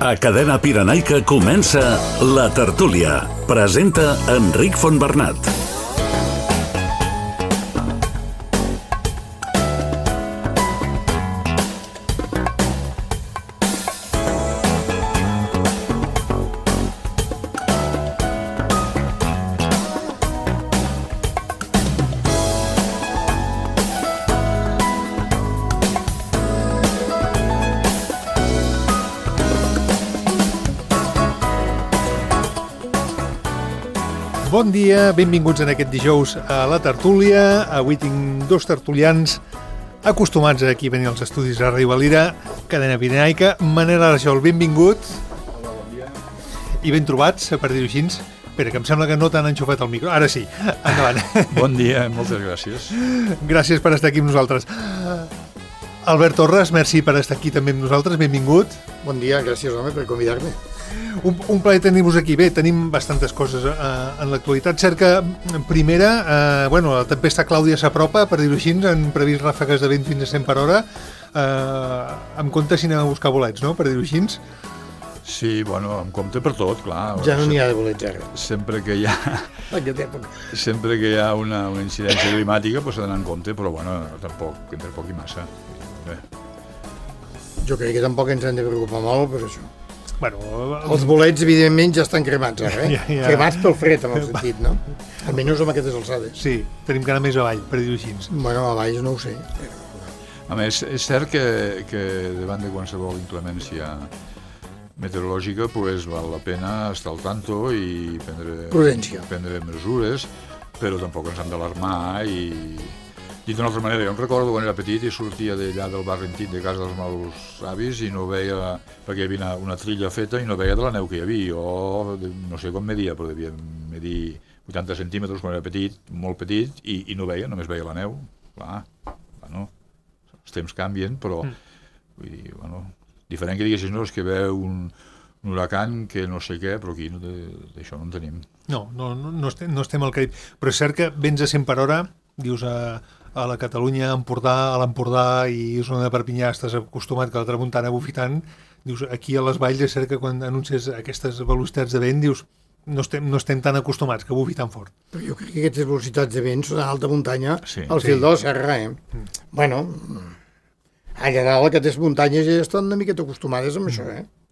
A Cadena Pirenaica comença La Tertúlia. Presenta Enric Fontbernat. Bon dia, benvinguts en aquest dijous a La Tertúlia. Avui tinc dos tertulians acostumats a aquí venir als estudis a Ràdio Valira, Cadena Pirenaica. Manel Arjol, benvingut. Hola, bon dia. I ben trobats, per dir-ho així. Espera, que em sembla que no t'han enxufat el micro. Ara sí, endavant. Bon dia, moltes gràcies. Gràcies per estar aquí amb nosaltres. Albert Torres, merci per estar aquí també amb nosaltres, benvingut. Bon dia, gràcies, home, per convidar-me. Un plaer tenir-vos aquí. Bé, tenim bastantes coses en l'actualitat. Cert que, primera, la tempesta Clàudia s'apropa, per dir-ho així, han previst ràfegues de vent fins a 100 per hora. Amb compte si anem a buscar bolets, no?, per dir-ho així. Sí, bueno, amb compte per tot, clar. Ja no n'hi ha de bolets, ara. Sempre que hi ha una incidència climàtica, s'ha d'anar en compte, però, bueno, tampoc, entre poc i massa. Bé. Jo crec que tampoc ens hem de preocupar molt per això. Bueno, els bolets, evidentment, ja estan cremats, ara, Ja. Cremats pel fred, en el sentit, no? Almenys amb aquestes alçades. Sí, tenim que anar més avall, per dir-ho així. Bueno, a baix no ho sé. A més, és cert que davant de qualsevol inclemència meteorològica, val la pena estar al tanto i prendre mesures, però tampoc ens hem d'alarmar i... Dit d'una altra manera, jo em recordo quan era petit i sortia d'allà del barri antic de casa dels meus avis i no veia, perquè hi havia una trilla feta i no veia de la neu que hi havia. Jo no sé com media, però devia medir 80 centímetres quan era petit, molt petit, i no veia, només veia la neu. Clar, bueno, els temps canvien, però vull dir, bueno, diferent que diguessis, no, és que veu un huracan que no sé què, però aquí d'això no en tenim. No estem al Carib, però és cert que vents a 100 per hora, dius a la Catalunya, a l'Empordà i zona de Perpinyà estàs acostumat que la tramuntana bufitant, dius, aquí a les valls és cert que quan anuncies aquestes velocitats de vent, dius, no estem tan acostumats que bufi tan fort. Però jo crec que aquestes velocitats de vent són a alta muntanya, sí, al fil de la serra, Bueno, allà dalt aquestes muntanyes ja estan una miqueta acostumades amb això,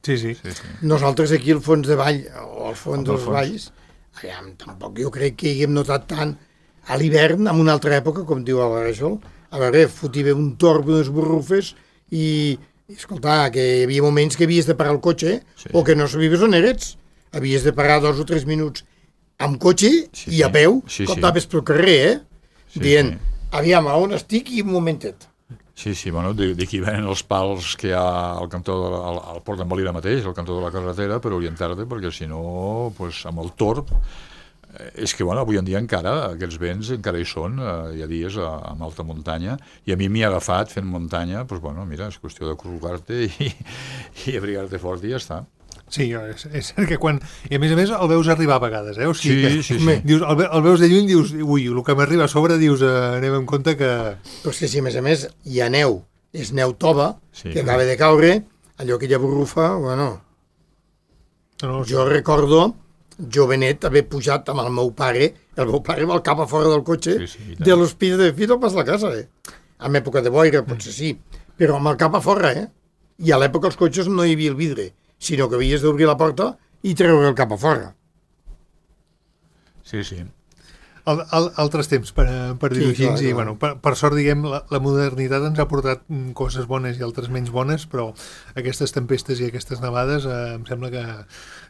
Sí. Nosaltres aquí al fons de vall, o al fons dels valls, allà tampoc jo crec que hi haguem notat tant a l'hivern, en una altra època, com diu el Rajol, a veure, fotia un torb, unes borrufes, i escolta, que hi havia moments que havies de parar el cotxe, o que no sabies on eres. Havies de parar 2 o 3 minuts amb cotxe i a peu, com anaves pel carrer, dient, aviam, a on estic i un momentet. Sí, bueno, d'aquí venen els pals que hi ha al cantó, al Port d'en Valira mateix, al cantó de la carretera, per orientar-te, perquè si no, amb el torb, és que, bueno, avui en dia encara, aquests vents encara hi són, hi ha dies amb alta muntanya, i a mi m'hi ha agafat fent muntanya, doncs, bueno, mira, és qüestió de col·locar-te i abrigar-te fort i ja està. Sí, és cert que quan... I a més el veus arribar a vegades, O sigui sí. Dius, el veus de lluny, dius, ui, el que m'arriba a sobre, dius, anem en compte que... Però és que si, a més, hi ha neu, és neu tova, que acaba de caure, allò que ja borrufa, bueno... Jo recordo, jovenet, haver pujat amb el meu pare amb el cap a fora del cotxe, de l'hospital de Fito pas la casa, En època de boira, potser sí, però amb el cap a fora, I a l'època els cotxes no hi havia el vidre, sinó que havies d'obrir la porta i treure el cap a fora. Sí. Altres temps, per dir-ho així, i, bueno, per sort, diguem, la modernitat ens ha portat coses bones i altres menys bones, però aquestes tempestes i aquestes nevades em sembla que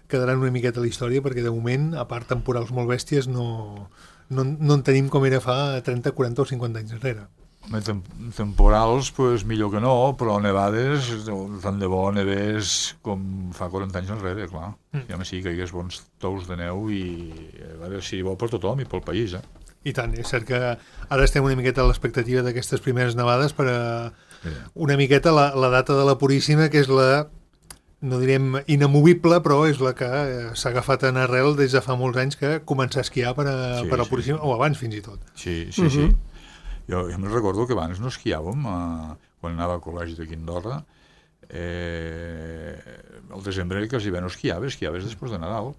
quedaran una miqueta a la història, perquè de moment, a part temporals molt bèsties, no en tenim com era fa 30, 40 o 50 anys enrere. Temporals, millor que no, però nevades, tant de bo nevés com fa 40 anys enrere, clar. Ja sí que hi hagués bons tous de neu i a veure si bo per tothom i pel país, I tant, és cert que ara estem una miqueta a l'expectativa d'aquestes primeres nevades per una miqueta la data de la Puríssima, que és la, no direm inamovible, però és la que s'ha agafat en arrel des de fa molts anys que començar a esquiar per a la Puríssima, o abans fins i tot. Sí. Jo me'n recordo que abans no esquiàvem, quan anava al col·legi de Quindorra, al desembre quasi bé no esquiaves després de Nadal,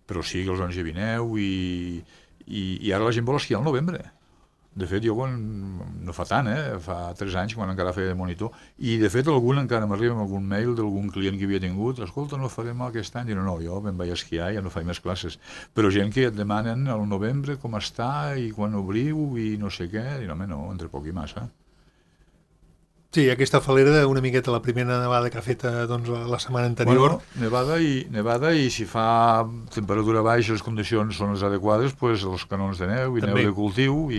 però sí que els anys hi vineu i ara la gent vol esquiar al novembre. De fet, jo no fa tant, fa 3 anys, quan encara feia de monitor, i de fet encara m'arriba amb algun mail d'algun client que havia tingut, escolta, no farem aquest any, i no, jo me'n vaig a esquiar, ja no faig més classes. Però gent que et demanen al novembre com està, i quan obriu, i no sé què, i no, entre poc i massa. Sí, aquesta falera una miqueta la primera nevada que ha fet doncs, la setmana anterior. Bueno, nevada i si fa temperatura baixa, les condicions són les adequades, doncs els canons de neu i també. Neu de cultiu.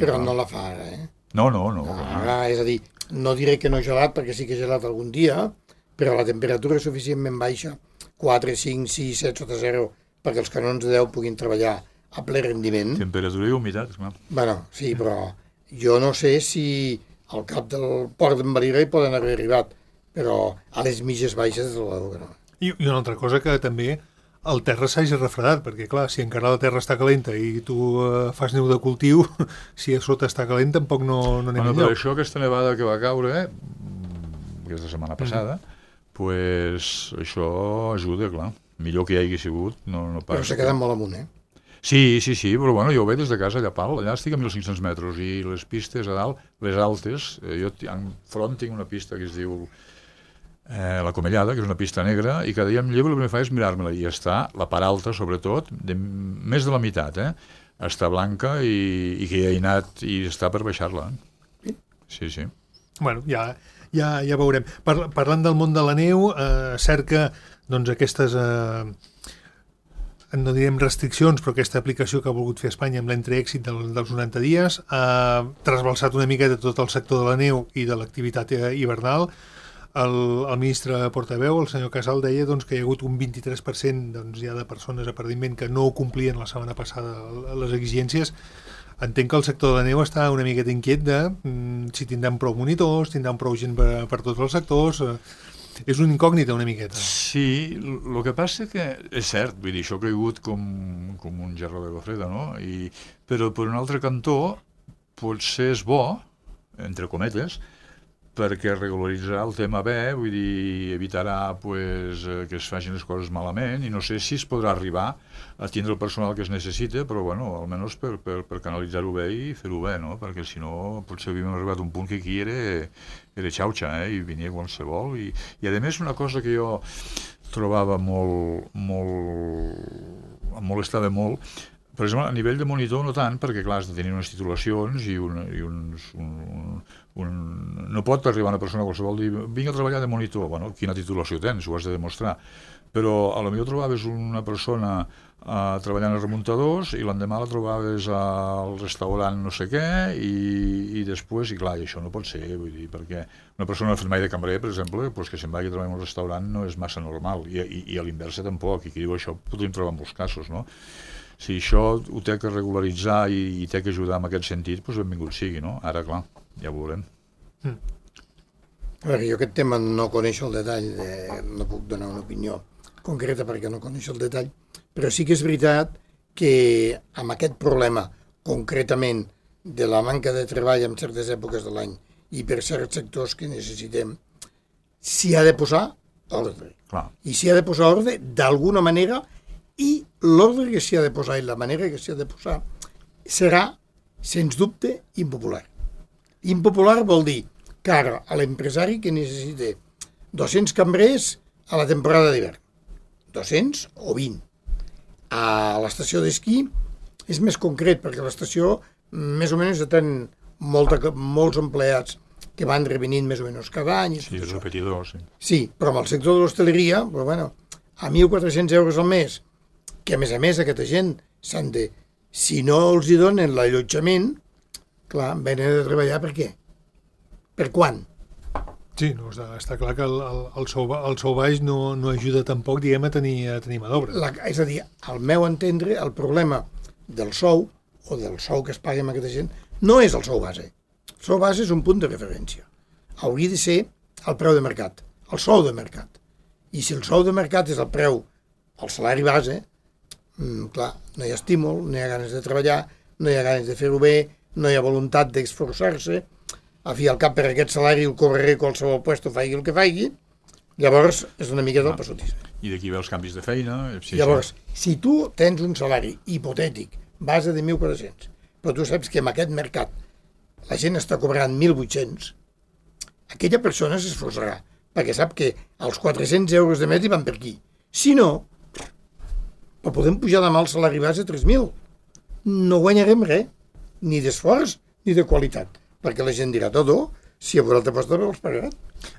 Però no la fa ara, No. Ara, és a dir, no diré que no gelat, perquè sí que he gelat algun dia, però la temperatura és suficientment baixa, 4, 5, 6, 7 sota 0, perquè els canons de neu puguin treballar a ple rendiment. Temperatura i humitat, clar. Bueno, sí, però jo no sé si al cap del port d'en Valira hi poden haver arribat, però a les mitges baixes de la no. I una altra cosa que també el terra s'hagi refredat, perquè clar, si encara la terra està calenta i tu fas neu de cultiu, si a sota està calent tampoc no anem enlloc. Per això aquesta nevada que va caure, aquesta setmana passada, pues això ajuda, clar. Millor que hi hagi sigut, no pas. Però s'ha quedat molt amunt, Sí, però bueno, jo ho veig des de casa allà allà estic a 1.500 metres i les pistes a dalt, les altes, jo enfront tinc una pista que es diu la Comellada, que és una pista negra, i cada dia em llevo i el que faig és mirar-me-la, i està la part alta, sobretot, més de la meitat, està blanca i que hi ha anat i està per baixar-la. Sí. Bueno, ja veurem. Parlant del món de la neu, cert que doncs, aquestes no direm restriccions, però aquesta aplicació que ha volgut fer Espanya amb l'entreèxit dels 90 dies ha trasbalsat una miqueta tot el sector de la neu i de l'activitat hivernal. El ministre portaveu, el senyor Casal, deia doncs, que hi ha hagut un 23% doncs, ja de persones a perdiment que no complien la setmana passada les exigències. Entenc que el sector de la neu està una miqueta inquiet de si tindran prou monitors, tindran prou gent per tots els sectors. És una incògnita una miqueta. Sí, el que passa que és cert, vull dir, això ha caigut com un gerro d'aigua freda, no? Però per un altre cantó potser és bo, entre cometes, perquè regularitzarà el tema bé, vull dir, evitarà pues, que es facin les coses malament, i no sé si es podrà arribar a tindre el personal que es necessita, però bueno, almenys per canalitzar-ho bé i fer-ho bé, no? Perquè si no potser havíem arribat a un punt que aquí era xauxa, i venia qualsevol, i a més una cosa que jo trobava molt em molestava molt, per exemple, a nivell de monitor no tant, perquè clar, has de tenir unes titulacions i no pot arribar una persona qualsevol dir vinc a treballar de monitor, bueno, quina titulació tens, ho has de demostrar, però a lo millor trobaves una persona treballant als remuntadors i l'endemà la trobaves al restaurant no sé què i després, i clar, i això no pot ser, vull dir, perquè una persona no ha fet mai de cambrer, per exemple, pues que se'n vagi a treballar en un restaurant no és massa normal, i a l'inversa tampoc, i qui diu això podríem trobar en molts casos, no? Si això ho té que regularitzar i té que ajudar en aquest sentit, doncs benvingut sigui, no? Ara, clar, ja ho veurem. A veure, jo aquest tema no coneixo el detall, no puc donar una opinió concreta perquè no coneixo el detall, però sí que és veritat que amb aquest problema, concretament, de la manca de treball en certes èpoques de l'any i per certs sectors que necessitem, s'hi ha de posar ordre. Clar. I s'hi ha de posar ordre d'alguna manera, i l'ordre que s'hi ha de posar i la manera que s'hi ha de posar serà, sens dubte, impopular. Impopular vol dir que ara a l'empresari que necessita 200 cambrers a la temporada d'hivern, 200 o 20. A l'estació d'esquí és més concret, perquè a l'estació més o menys tenen molts empleats que van revenint més o menys cada any. Sí, és repetidor, sí. Sí, però amb el sector de l'hostaleria, però bueno, a 1.400 euros al mes, que a més aquesta gent s'han de, si no els hi donen l'allotjament, clar, venen a treballar per què? Per quan? Sí, no, està clar que el sou baix no ajuda tampoc, diguem, a tenir mà d'obra. És a dir, al meu entendre, el problema del sou, o del sou que es pagui amb aquesta gent, no és el sou base. El sou base és un punt de referència. Hauria de ser el preu de mercat, el sou de mercat. I si el sou de mercat és el preu, el salari base, clar, no hi ha estímul, no hi ha ganes de treballar, no hi ha ganes de fer-ho bé, no hi ha voluntat d'esforçar-se, a fi al cap per aquest salari el cobraré qualsevol puesto, faigui el que faigui, Llavors, és una mica del passotisme. I d'aquí ve els canvis de feina. Llavors, si tu tens un salari hipotètic, base de 1.400, però tu saps que en aquest mercat la gent està cobrant 1.800, aquella persona s'esforçarà, perquè sap que els 400 euros de mes hi van per aquí. Si no, però podem pujar demà el salari base a 3.000. No guanyarem res, ni d'esforç ni de qualitat, perquè la gent dirà tot, si a vosaltres posta els pagarà.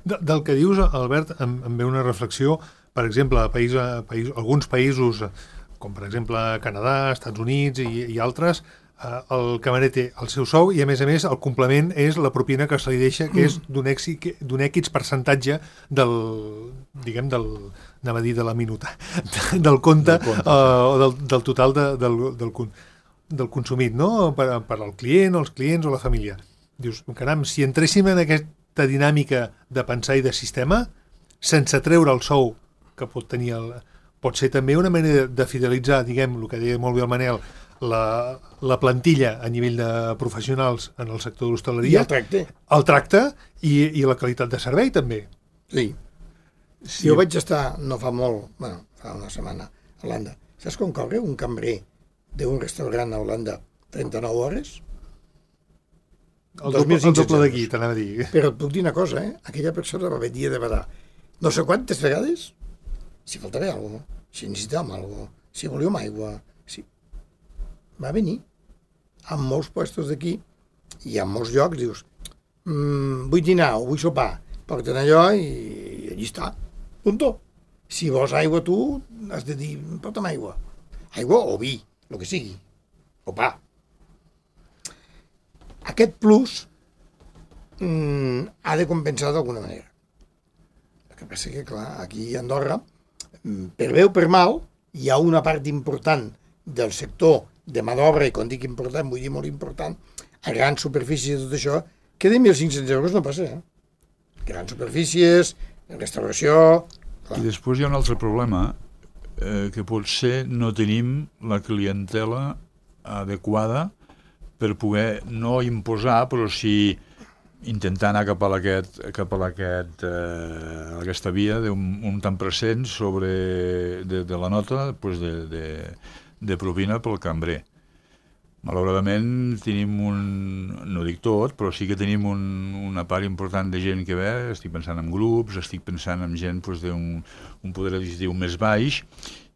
Del que dius, Albert, em ve una reflexió, per exemple, alguns països, com per exemple Canadà, Estats Units i altres, el camarer té el seu sou i, a més, el complement és la propina que se li deixa, que és d'un X percentatge del anava a dir de la minuta, del compte o del total del consumit, no? Per al client, els clients o la família. Dius, caram, si entréssim en aquesta dinàmica de pensar i de sistema, sense treure el sou que pot tenir pot ser també una manera de fidelitzar, diguem, el que deia molt bé el Manel, la plantilla a nivell de professionals en el sector de l'hostaleria. I el tracte. El tracte i la qualitat de servei, també. Sí. Jo vaig estar, no fa molt, fa una setmana, a Holanda. Saps com cobra un cambrer d'un restaurant a Holanda 39 hores? El doble d'aquí, t'anava a dir. Però et puc dir una cosa, aquella persona va venir de badar no sé quantes vegades, si faltava alguna cosa, si necessitàvem alguna cosa, si volíem aigua, va venir en molts puestos d'aquí i en molts llocs dius vull dinar o vull sopar, porten allò i allí està, punto. Si vols aigua tu has de dir porta'm aigua o vi, el que sigui, o pa. Aquest plus ha de compensar d'alguna manera. El que passa que, clar, aquí a Andorra, per bé o per mal, hi ha una part important del sector de mà d'obra, i quan dic important, vull dir molt important, a grans superfícies i tot això, que de 1.500 euros no passa, Grans superfícies, restauració... Clar. I després hi ha un altre problema, que potser no tenim la clientela adequada per poder no imposar, però sí intentar anar cap a aquesta via d'un tant % sobre de la nota de propina pel cambrer. Malauradament tenim no dic tot, però sí que tenim una part important de gent que ve, estic pensant en grups, estic pensant en gent d'un poder adquisitiu més baix,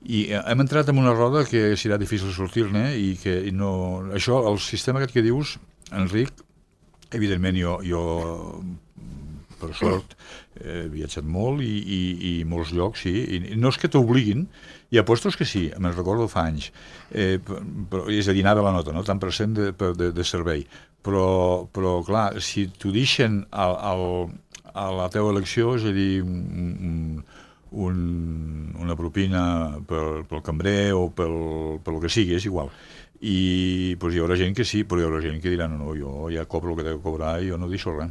i hem entrat en una roda que serà difícil sortir-ne i que no... Això, el sistema aquest que dius, Enric, evidentment jo per sort he viatjat molt i molts llocs, sí, i no és que t'obliguin, hi ha puestos que sí, me'n recordo fa anys, però, és a dir, anava la nota, no? Tant % de servei, però clar, si t'ho deixen a la teva elecció, és a dir, una propina pel cambrer o pel que sigui, és igual. I doncs hi haurà gent que sí, però hi haurà gent que dirà no, jo ja cobro el que he de cobrar i jo no deixo res.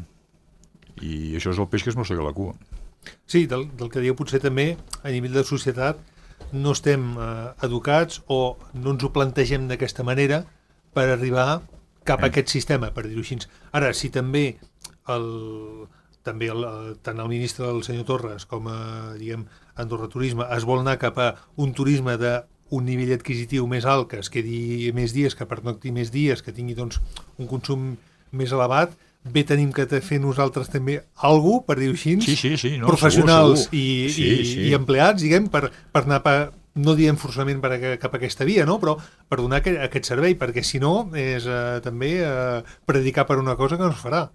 I això és el peix que es mossega la cua. Sí, del que diu potser també a nivell de societat no estem educats o no ens ho plantegem d'aquesta manera per arribar cap a aquest sistema, per dir-ho així. Ara, si també tant el ministre del senyor Torres com diguem Andorra Turisme es vol anar cap a un turisme d'un nivell adquisitiu més alt, que es quedi més dies, que pernocti més dies, que tingui doncs, un consum més elevat, bé tenim que fer nosaltres també alguna cosa, per dir-ho així, no, professionals segur. I empleats, diguem, per anar no diem forçament cap a aquesta via, no? Però per donar aquest servei, perquè si no és també predicar per una cosa que no es farà.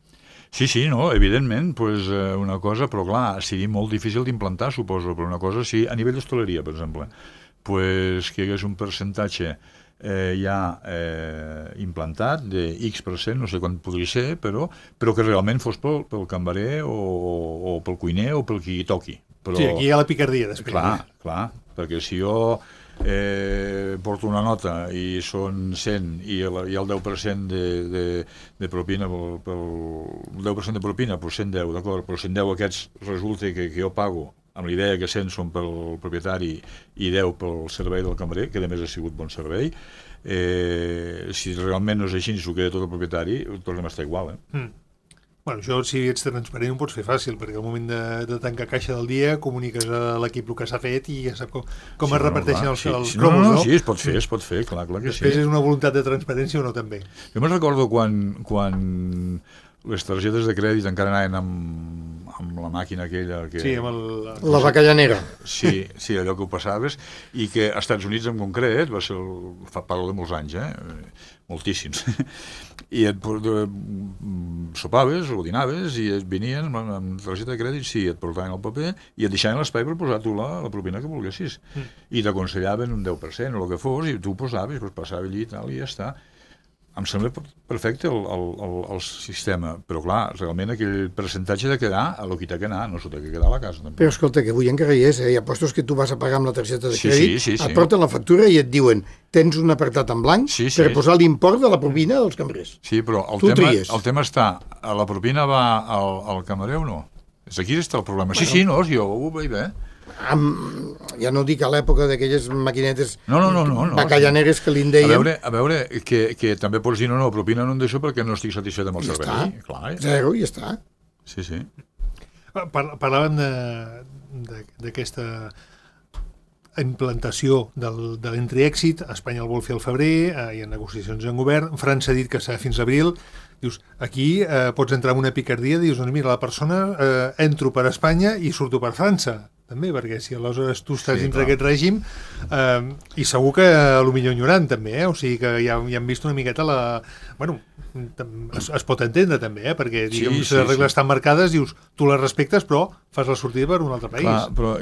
Sí, no, evidentment, pues, una cosa, però clar, seria molt difícil d'implantar, suposo, però una cosa, sí, a nivell d'hostaleria, per exemple, pues, que hi hagués un percentatge ja implantat de X%, no sé quant podria ser, però que realment fos pel cambrer o pel cuiner o pel qui toqui. Però, sí, aquí hi ha la picardia, després. Clar, perquè si jo porto una nota i són 100 i el 10% de propina, el 10% de propina, però 110, d'acord, però 110 aquests resulta que jo pago amb l'idea que 100 són pel propietari i 10 pel servei del cambrer, que a més ha sigut bon servei, si realment no és així, s'ho queda tot el propietari, tornem a estar igual. Bueno, això, si ets transparent, ho pots fer fàcil, perquè al moment de tancar caixa del dia comuniques a l'equip el que s'ha fet i ja sap com es reparteixen els cromos, no? Sí, es pot fer, clar que sí. Després és una voluntat de transparència o no, també. Jo me'n recordo quan les targetes de crèdit encara anaven amb la màquina aquella... Sí, amb la bacallanera. Sí, allò que ho passaves, i que als Estats Units en concret, parlo de molts anys, moltíssims, i sopaves o dinaves i et venien amb targeta de crèdit, sí, et portaven el paper i et deixaven l'espai per posar tu la propina que volguessis. I t'aconsellaven un 10% o el que fos, i tu posaves, passava allí i tal, i ja està. Em sembla perfecte el sistema, però clar, realment aquell percentatge de quedar a lo que t'ha d'anar, no s'ho té que quedar a la casa. Però escolta, que avui encara hi és, hi ha postos que tu vas a pagar amb la targeta de crèdit, et porten la factura i et diuen tens un apartat en blanc per posar l'import de la propina dels cambrers. Sí, però el tema està, la propina va al camarer o no? Aquí està el problema. Sí, no, jo ho veig bé. Ja no dic a l'època d'aquelles maquinetes bacallaneres que li en deien. A veure, que també pots dir no, propina no en deixo perquè no estic satisfet amb el servei. Zero, i ja està. Sí. Parlàvem d'aquesta implantació de l'entri-èxit. Espanya el vol fer al febrer, hi ha negociacions en govern, França ha dit que serà fins abril. Dius, aquí pots entrar en una picardia, dius, doncs mira, la persona entro per Espanya i surto per França, també, perquè si aleshores tu estàs dintre d'aquest règim, i segur que potser enyorant també, o sigui que ja hem vist una miqueta bueno, es pot entendre també, perquè diguem, si les regles estan marcades, dius, tu les respectes però fas la sortida per un altre país. Clar, però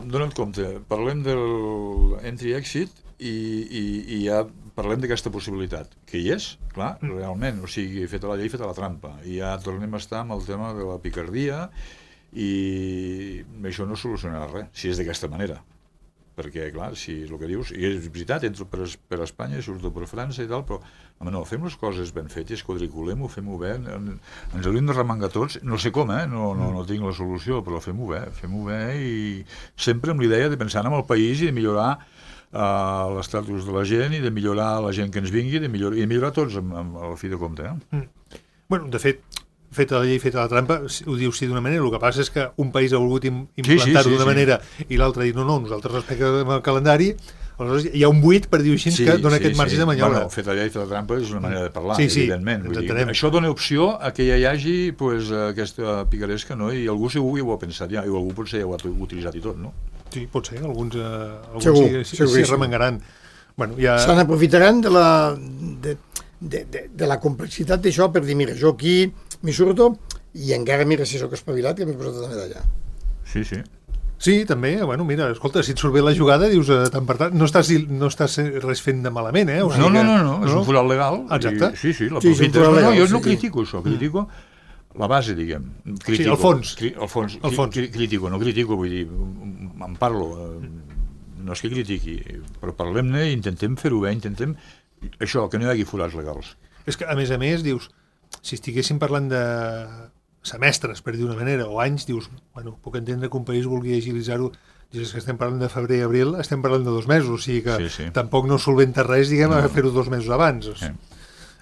dona't compte, parlem de l'entry-exit i ja parlem d'aquesta possibilitat, que hi és, clar, realment, o sigui, feta la llei, feta la trampa, i ja tornem a estar amb el tema de la picardia, i això no solucionarà res, si és d'aquesta manera, perquè, clar, si és el que dius, i és veritat, entro per Espanya, surto per França i tal, però, home, no, fem les coses ben fetes, quadriculem-ho, fem-ho bé, ens hauríem de remengar tots, no sé com, no tinc la solució, però fem-ho bé, i sempre amb l'idea de pensar en el país i de millorar l'estatus de la gent i de millorar la gent que ens vingui i millorar tots al fi de compte. Bueno, de fet, feta la llei, feta la trampa, ho dius sí d'una manera, el que passa és que un país ha volgut implantar-ho d'una manera i l'altre ha dit no, nosaltres respectem el calendari, aleshores hi ha un buit, per dir-ho així, que dona aquest marge de maniobra. Bueno, feta la llei, feta la trampa és una manera de parlar, evidentment. Això dona opció a que ja hi hagi aquesta picaresca, i algú segur ho ha pensat ja, i algú potser ja ho ha utilitzat i tot, no? Sí, pot ser, alguns s'hi remengaran. Se n'aprofitaran de la complexitat d'això per dir, mira, jo aquí m'hi surto i encara mira si sóc espavilat que m'he posat també d'allà. Sí. Sí, també, bueno, mira, escolta, si et surt bé la jugada, dius, tant per tant, no estàs res fent de malament, O sigui no, és un forat legal. Exacte. Sí, l'aprofites. No, jo no critico això, critico la base, diguem. Sí, el fons. Critico, vull dir, en parlo, no és que critiqui, però parlem-ne i intentem fer-ho bé, intentem això, que no hi hagi forats legals. És que, a més, dius, si estiguéssim parlant de semestres, per dir d'una manera, o anys, dius, bueno, puc entendre que un país vulgui agilitzar-ho, dius que estem parlant de febrer i abril, estem parlant de 2 mesos, o sigui que tampoc no solventa res, diguem, a fer-ho 2 mesos abans.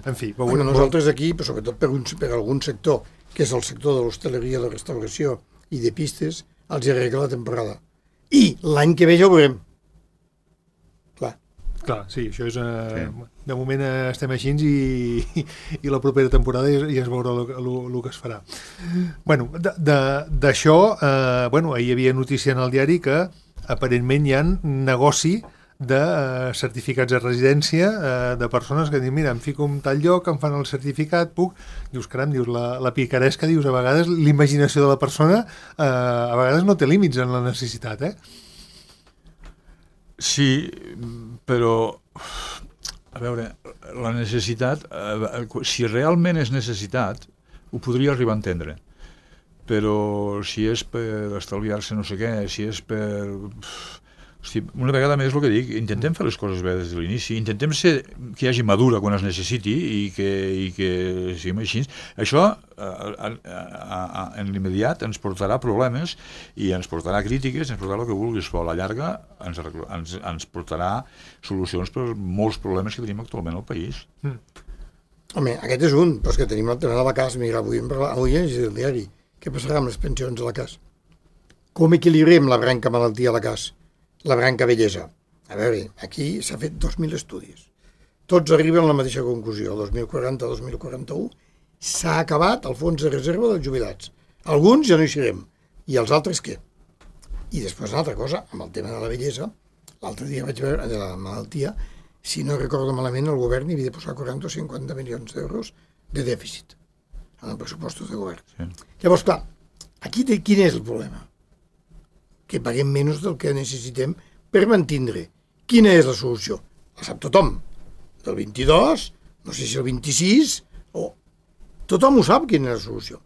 En fi. Nosaltres aquí, però sobretot per algun sector, que és el sector de l'hostaleria, la restauració i de pistes, els arregla la temporada. I l'any que ve ja ho veurem. Clar, sí, això és... De moment estem així i la propera temporada ja es veurà el que es farà. Bueno, d'això, ahir hi havia notícia en el diari que aparentment hi ha negoci de certificats de residència de persones que diuen, mira, em fico en tal lloc, em fan el certificat, puc... Dius, caram, la picaresca, dius, a vegades l'imaginació de la persona a vegades no té límits en la necessitat, Sí, però, a veure, la necessitat, si realment és necessitat, ho podria arribar a entendre. Però si és per estalviar-se no sé què, si és per... Hosti, una vegada més el que dic, intentem fer les coses bé des de l'inici, intentem ser que hi hagi madura quan es necessiti i que siguem així. Això en l'immediat ens portarà problemes i ens portarà crítiques, ens portarà el que vulguis, però a la llarga ens portarà solucions per molts problemes que tenim actualment al país. Home, aquest és un, però és que tenim el tema de la CAS. Mira, avui he llegit el diari. Què passarà amb les pensions a la CAS? Com equilibrem la branca malaltia a la CAS? La branca bellesa? A veure, aquí s'ha fet 2.000 estudis. Tots arriben a la mateixa conclusió. El 2040-2041 s'ha acabat el fons de reserva dels jubilats. Alguns ja no hi serem. I els altres què? I després una altra cosa, amb el tema de la bellesa, l'altre dia vaig veure, de la malaltia, si no recordo malament, el govern hi havia de posar 40 o 50 milions d'euros de dèficit en els pressupostos de govern. Sí. Llavors, clar, aquí quin és el problema? Que paguem menys del que necessitem per mantindre. Quina és la solució? La sap tothom. Del 22, no sé si el 26, o... Tothom ho sap, quina és la solució.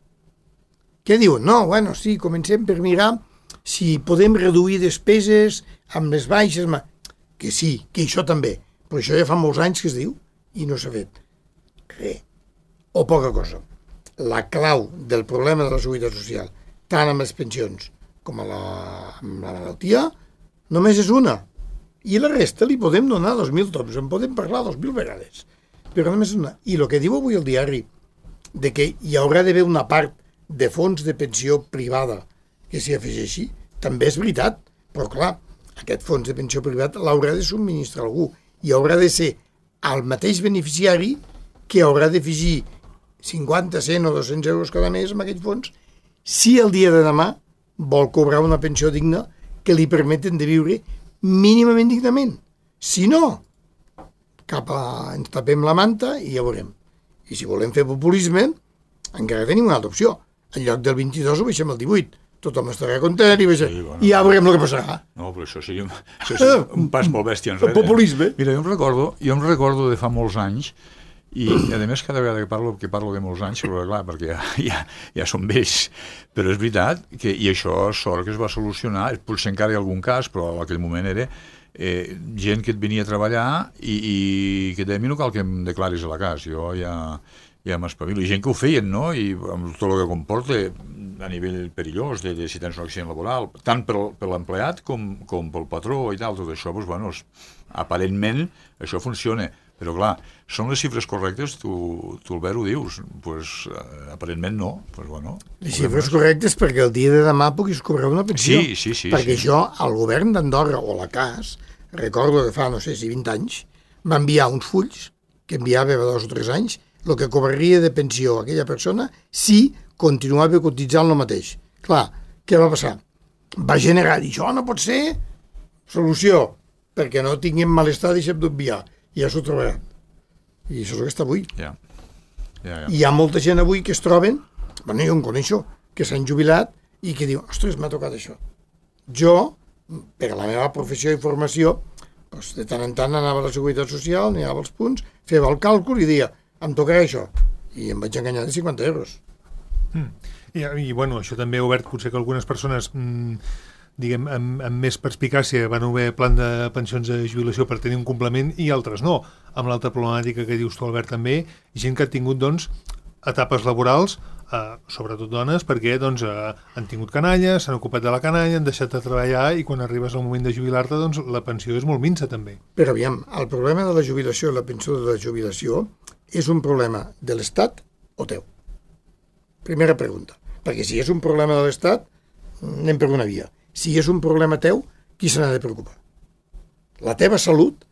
Què diuen? No, bueno, sí, comencem per mirar si podem reduir despeses amb les baixes... Que sí, que això també. Però això ja fa molts anys que es diu i no s'ha fet res. O poca cosa. La clau del problema de la seguretat social, tant amb les pensions com amb la malaltia, només és una. I la resta li podem donar 2.000 tops, en podem parlar 2.000 vegades. Però només és una. I el que diu avui el diari, de que hi haurà d'haver una part de fons de pensió privada que s'hi afegeixi, també és veritat. Però clar, aquest fons de pensió privat l'haurà de subministrar algú i haurà de ser el mateix beneficiari que haurà d'afegir 50, 100 o 200 euros cada mes amb aquest fons si el dia de demà vol cobrar una pensió digna que li permeten de viure mínimament dignament. Si no, ens tapem la manta i ja veurem. I si volem fer populisme, encara tenim una altra opció. En lloc del 22 ho baixem al 18. Tothom estarà content i ja veurem el que passarà. No, però això seria un pas molt bèstia enrere. El populisme. Mira, jo em recordo de fa molts anys, i a més cada vegada que parlo de molts anys, però clar, perquè ja són vells, però és veritat que, i això sort que es va solucionar, potser encara hi ha algun cas, però en aquell moment era gent que et venia a treballar i que deia, no cal que em declaris a la casa, jo ja m'espavilo, i gent que ho feien, no? I amb tot el que comporta a nivell perillós, de si tens un accident laboral, tant per l'empleat com pel patró i tal, tot això, doncs, bueno, aparentment això funciona, però clar, són les xifres correctes, tu Albert ho dius, doncs aparentment no, doncs bueno. Les xifres correctes perquè el dia de demà puguis cobrar una pensió. Sí. Perquè jo, al govern d'Andorra, o la CAS, recordo que fa, no sé si 20 anys, va enviar uns fulls, que enviava 2 o 3 anys, el que cobraria de pensió aquella persona si continuava cotitzant el mateix. Clar, què va passar? Va generar, i això no pot ser solució, perquè no tinguem malestar, deixem d'obviar. I ja s'ho trobaran. I això és el que està avui. Ja. I hi ha molta gent avui que es troben, bueno, jo en coneixo, que s'han jubilat i que diu, ostres, m'ha tocat això. Jo, per la meva professió i formació, doncs, de tant en tant anava a la Seguretat Social, anava als punts, feia el càlcul i deia, em tocarà això. I em vaig enganyar de 50 euros. I bueno, això també ha obert potser que algunes persones diguem, amb més perspicàcia van haver plan de pensions de jubilació per tenir un complement i altres no. Amb l'altra problemàtica que dius tu, Albert, també, gent que ha tingut, doncs, etapes laborals, sobretot dones, perquè doncs, han tingut canalla, s'han ocupat de la canalla, han deixat de treballar i quan arribes al moment de jubilar-te, doncs, la pensió és molt minsa, també. Però aviam, el problema de la jubilació i la pensió de la jubilació és un problema de l'Estat o teu? Primera pregunta. Perquè si és un problema de l'Estat, anem per una via. Si és un problema teu, qui se n'ha de preocupar? La teva salut,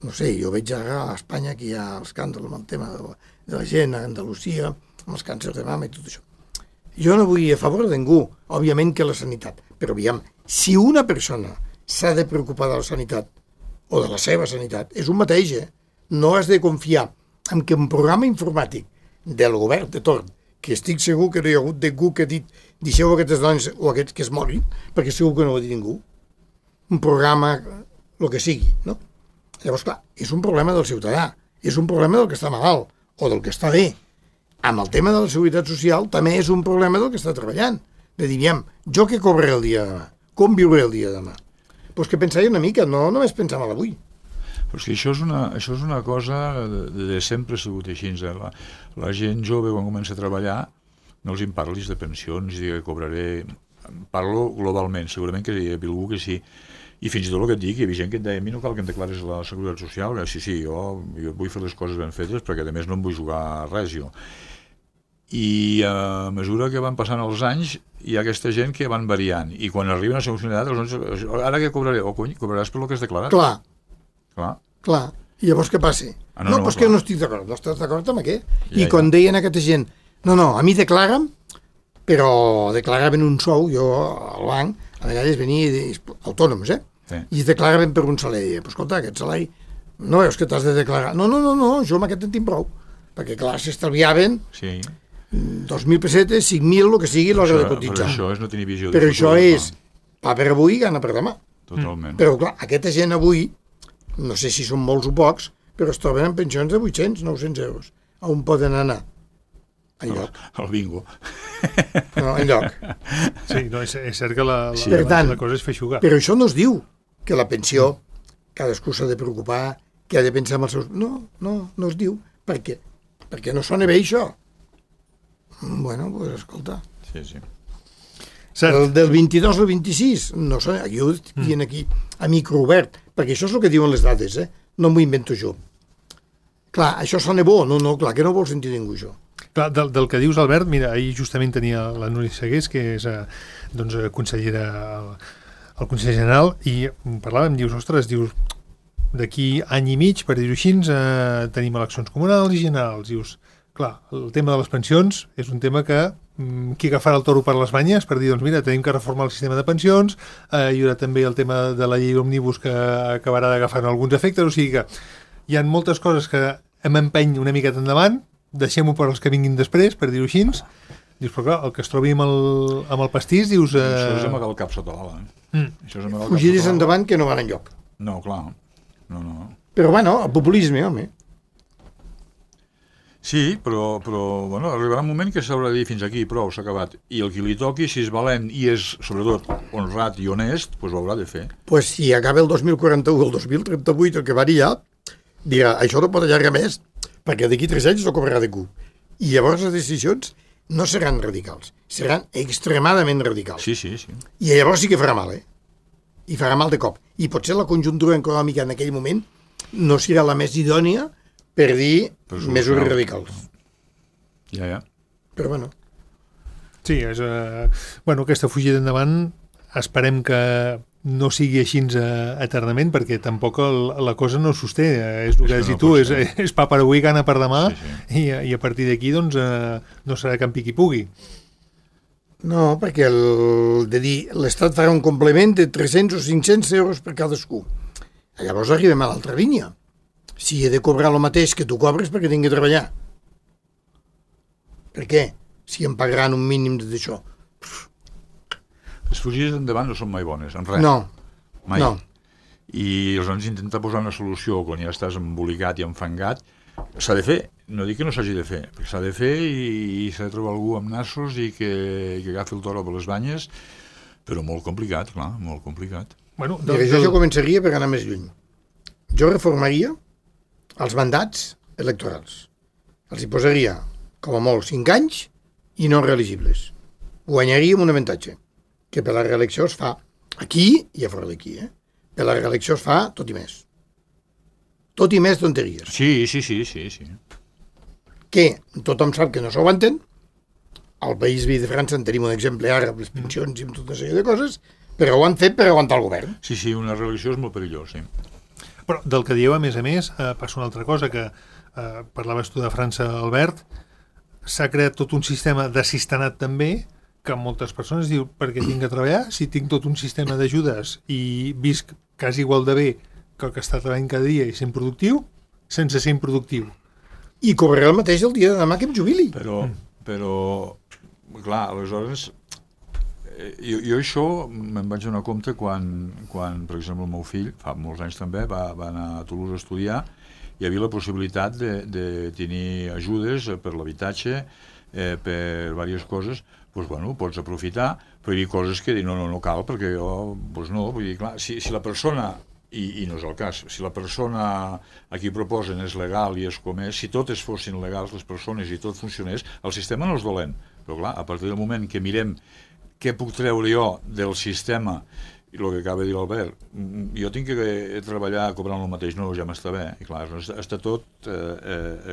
no sé, jo veig ara a Espanya que hi ha escàndol amb el tema de la gent, a Andalusia, amb els càncers de mama i tot això. Jo no vull a favor de ningú, òbviament que la sanitat, però aviam, si una persona s'ha de preocupar de la sanitat o de la seva sanitat, és un mateix, No has de confiar en que un programa informàtic del govern de torn, que estic segur que no hi ha hagut ningú que ha dit deixeu aquestes dones o aquests que es morin, perquè segur que no ho ha dit ningú. Un programa, el que sigui, no? Llavors, clar, és un problema del ciutadà, és un problema del que està malalt o del que està bé. Amb el tema de la seguretat social també és un problema del que està treballant. De dir, jo què cobraré el dia de demà? Com viuré el dia de demà? Doncs que pensar una mica, no només pensar mal avui. Però és que això és una cosa de sempre ha sigut així. La gent jove, quan comença a treballar, no els en parlis de pensions i que cobraré... Parlo globalment, segurament que hi ha algú que sí. I fins i tot el que et dic, hi havia gent que et deia, a mi no cal que em declares la Seguretat Social, sí, jo vull fer les coses ben fetes perquè a més no em vull jugar res jo. I a mesura que van passant els anys hi ha aquesta gent que van variant i quan arriben a la segona edat, ara què cobraré? Cobraràs per el que has declarat? Clar. I llavors què passa? No, però és que no estic d'acord. No estàs d'acord amb què? I quan deien a aquesta gent, no, a mi declara'm, però declaraven un sou, jo al banc, a vegades venia autònoms, i es declaraven per un salari. Però escolta, aquest salari, no veus que t'has de declarar? No, jo amb aquest en tinc prou. Perquè clar, s'estalviaven 2.000 pessetes, 5.000, el que sigui, l'hora de cotitzar. Però això és no tenir visió. Però això és pa per avui, gana per demà. Totalment. Però clar, aquesta gent avui, no sé si són molts o pocs, però es troben en pensions de 800, 900 euros. A on poden anar? Enlloc. Al bingo. No, enlloc. Sí, no, és cert que la cosa és feixugar. Però això no es diu que la pensió, cadascú s'ha de preocupar, que ha de pensar en els seus... No es diu. Per què? Perquè no sona bé això. Bueno, pues escolta. Sí. Del 22 al 26, no sona, jo ho diuen aquí a microobert, perquè això és el que diuen les dades, no m'ho invento jo. Clar, això sona bo, no, clar, que no vol sentir ningú això. Clar, del que dius, Albert, mira, ahir justament tenia la Núria Segués, que és consellera al Consell General, i parlàvem, dius, d'aquí any i mig, per dir-ho així, tenim eleccions comunals i generals, dius, clar, el tema de les pensions és un tema que qui agafarà el toro per les banyes per dir, doncs mira, tenim que reformar el sistema de pensions, hi haurà també el tema de la llei òmnibus que acabarà d'agafar alguns efectes, o sigui que hi ha moltes coses que hem empeny una miqueta endavant, deixem-ho per als que vinguin després, per dir-ho així, dius, però clar, el que es trobi amb el pastís, dius... Això és amagar el cap sota l'ala. Fugiris endavant que no van enlloc. No, clar, no. Però bueno, el populisme, home. Sí, però bueno, arribarà un moment que s'haurà de dir fins aquí, prou, s'ha acabat. I el que li toqui, si és valent i és, sobretot, honrat i honest, doncs ho haurà de fer. Doncs si acaba el 2041 o el 2038, el que varia, dirà, això no pot allargar més, perquè d'aquí 3 anys no cobrarà de cub. I llavors les decisions no seran radicals, seran extremadament radicals. Sí. I llavors sí que farà mal, I farà mal de cop. I potser la conjuntura econòmica en aquell moment no serà la més idònia per dir mesures radicals. Ja. Però bueno. Sí, és... aquesta fugida endavant esperem que no sigui així eternament, perquè tampoc la cosa no sosté. És el que has dit tu, és pa per avui, gana per demà, i a partir d'aquí doncs, no serà que en piqui pugui. No, perquè de dir l'Estat farà un complement de 300 o 500 euros per cadascú. Llavors arribem a l'altra línia. Si he de cobrar el mateix que tu cobres perquè tinc que treballar. Per què? Si em pagaran un mínim d'això. Les fugides endavant no són mai bones, en res. No. Mai. No. I aleshores intentar posar una solució quan ja estàs embolicat i enfangat, s'ha de fer. No dic que no s'hagi de fer, perquè s'ha de fer i s'ha de trobar algú amb nassos i que agafi el toro per les banyes, però molt complicat, clar, molt complicat. Bueno, jo començaria per anar més lluny. Jo reformaria els mandats electorals. Els hi posaria, com a molt, 5 anys i no reelegibles. Guanyaríem un avantatge, que per la reelecció es fa aquí i a fora d'aquí. Per la reelecció es fa tot i més. Tot i més tonteries. Sí. Que tothom sap que no s'aguanten. Al país veí de França en tenim un exemple ara amb les pensions i amb tota una sèrie de coses, però ho han fet per aguantar el govern. Sí, una reelecció és molt perillós, sí. Però del que dieu, a més, passa una altra cosa, que parlaves tu de França, Albert, s'ha creat tot un sistema d'assistenat també, que moltes persones diuen, perquè tinc que treballar, si tinc tot un sistema d'ajudes i visc quasi igual de bé que el que està treballant cada dia i sent productiu, sense ser improductiu. I cobraré el mateix el dia de demà que em jubili. Però clar, aleshores... Jo això me'n vaig donar compte quan, per exemple, el meu fill, fa molts anys també, va anar a Toulouse a estudiar, hi havia la possibilitat de tenir ajudes per l'habitatge, per diverses coses, doncs, bueno, pots aprofitar, però hi havia coses que no cal, perquè jo, doncs no, vull dir, clar, si la persona, i no és el cas, si la persona a qui proposen és legal i és com és, si totes fossin legals les persones i tot funcionés, el sistema no és dolent, però clar, a partir del moment que mirem què puc treure jo del sistema i el que acaba de dir l'Albert, jo tinc que treballar cobrant el mateix, no, ja m'està bé, i clar, està tot